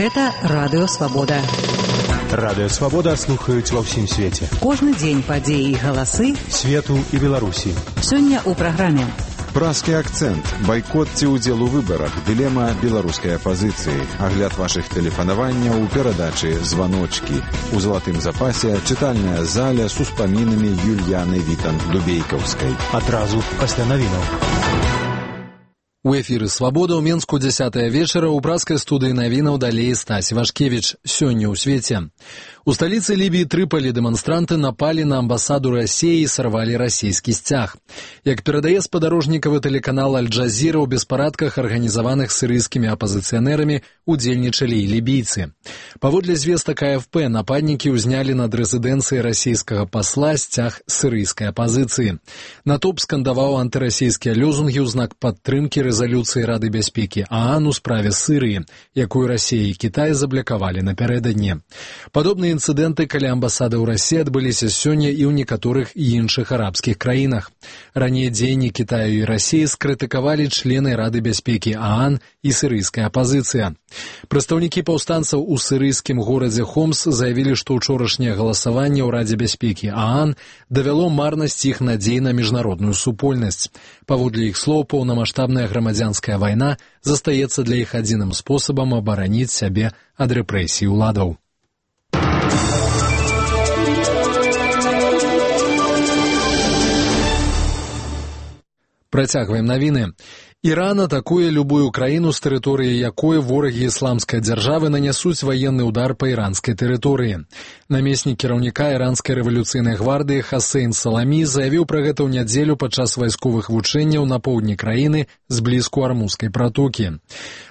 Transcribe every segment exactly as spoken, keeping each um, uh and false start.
Гэта Радыё Свабода. Радыё Свабода слухаюць ва ўсім свеце. Кожны дзень падзеі і галасы свету і Беларусі. Сёння ў праграме Празкі акцэнт, байкот ці ўдзел у выбарах, дылема беларускай апазіцыі, агляд вашых тэлефанаванняў у перадачы «Званочкі». У залатым запасе чытальная заля з успамінамі Юльяны Вітанд-Дубейкаўскай. Адразу пасля навінаў. У эфіры «Свабода» ў Менску дзясятая вечара ў празкай студыі навінаў далей Стась Вашкевіч. Сёння ў свеце. У сталіцы Лібіі Трыполі дэманстранты напалі на амбасаду Расіі і сарвалі расійскі сцяг. Як перадае спадарожнікавы тэлеканал «Аль-Джазіра», у беспарадках, арганізаваных сірыйскімі апазіцыянерамі, удзельнічалі і лібійцы. Паводле звестак А Эф Пэ, нападнікі ўзнялі над рэзідэнцыяй расійскага пасла сцяг сірыйскай апазіцыі. Натоўп скандаваў антырасійскія лёзунгі ў знак падтрымкі рэзалюцыі Рады бяспекі ААН у справе Сырыі, якую Расія і Кітай заблакавалі напярэдадні. Падобныя інцыдэнты каля амбасады ў Расіі адбыліся сёння і ў некаторых іншых арабскіх краінах. Раней дзеянні Кітаю і Расіі скрытыкавалі члены Рады бяспекі ААН і сірыйская апазіцыя. Прадстаўнікі паўстанцаў у сірыйскім горадзе Хомс заявілі, што ўчорашняе галасаванне ў Радзе бяспекі ААН давяло марнасць іх надзей на міжнародную супольнасць. Паводле іх слоў, паўнамаштабная грамадзянская вайна застаецца для іх адзіным спосабам абараніць сябе ад рэпрэсій уладаў. Працягваем навіны. Іран атакуе любую краіну, з тэрыторыі якой ворагі ісламскай дзяржавы нанясуць ваенны ўдар па іранскай тэрыторыі. Намеснік кіраўніка іранскай рэвалюцыйнай гвардыі Хасейн Саламі заявіў пра гэта ў нядзелю падчас вайсковых вучэнняў на поўдні краіны зблізку Армузскай пратокі.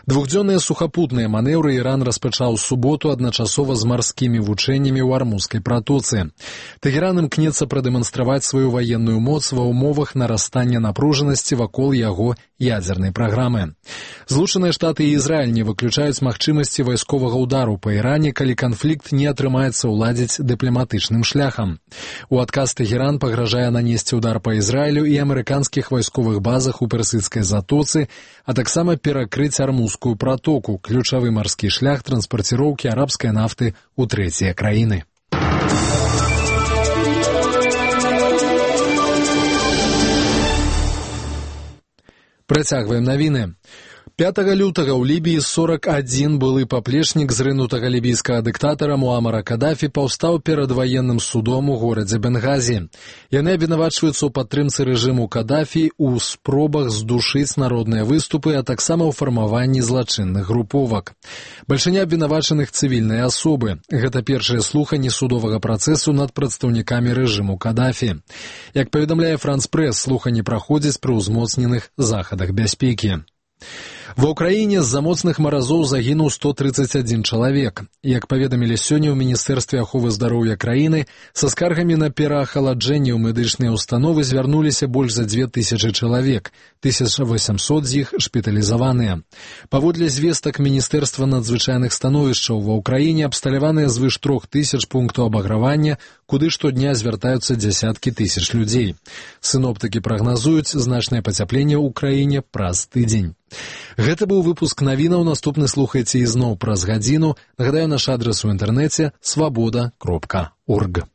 Двухдзённыя сухапутныя манеўры Іран распачаў суботу адначасова з марскімі вучэннямі ў Армузскай пратоцы. Тэгеран імкнецца прадэманстраваць сваю ваенную моц ва ўмовах нарастання напружанасці вакол яго ядзернай праграмы. Злучаныя Штаты і Ізраіль не выключаюць магчымасці вайсковага ўдару па Іране, калі канфлікт не атрымаецца ўладзіць дыпламатычным шляхам. У адказ Тэгеран пагражае нанесці ўдар па Ізраілю і амерыканскіх вайсковых базах у Персідскай затоцы, а таксама перакрыць Армузскую пратоку, ключавы марскі шлях транспарціроўкі арабскай нафты ў трэція краіны. Працягваем навіны. пятага лютага ў Лібіі сорак адзін былы паплечнік зрынутага лібійскага дыктатара Муамара Кадафі паўстаў перад ваенным судом у горадзе Бенгазі. Яны абвінавачваюцца ў падтрымцы рэжыму Кадафі ў спробах здушыць народныя выступы, а таксама ў фармаванні злачынных груповак. Бальшыня абвінавачаных цывільныя асобы. Гэта першае слуханне судовага працэсу над прадстаўнікамі рэжыму Кадафі. Як паведамляе Франс Прэс, слуханні праходзяць пры ўзмоцненых захадах бяспекі. Ва ўкраіне з-за моцных маразоў загінуў сто трыццаць адзін чалавек. Як паведамілі сёння ў Міністэрстве аховы здароўя краіны, са скаргамі на пераахаладжэнне ў медычныя ўстановы звярнуліся больш за дзве тысячы чалавек, тысяча васямсот з іх шпіталізаваныя. Паводле звестак Міністэрства надзвычайных становішчаў ва ўкраіне абсталяваныя звыш трох тысяч пунктаў абагравання, куды штодня звяртаюцца дзясяткі тысяч людзей. Сіноптыкі прагназуюць значнае пацяпленне ў краіне праз тыдзень. Гэта быў выпуск навінаў, наступны слухайце ізноў праз гадзіну. Нагадаю, наш адрас у інтэрнэце свабода кропка орг.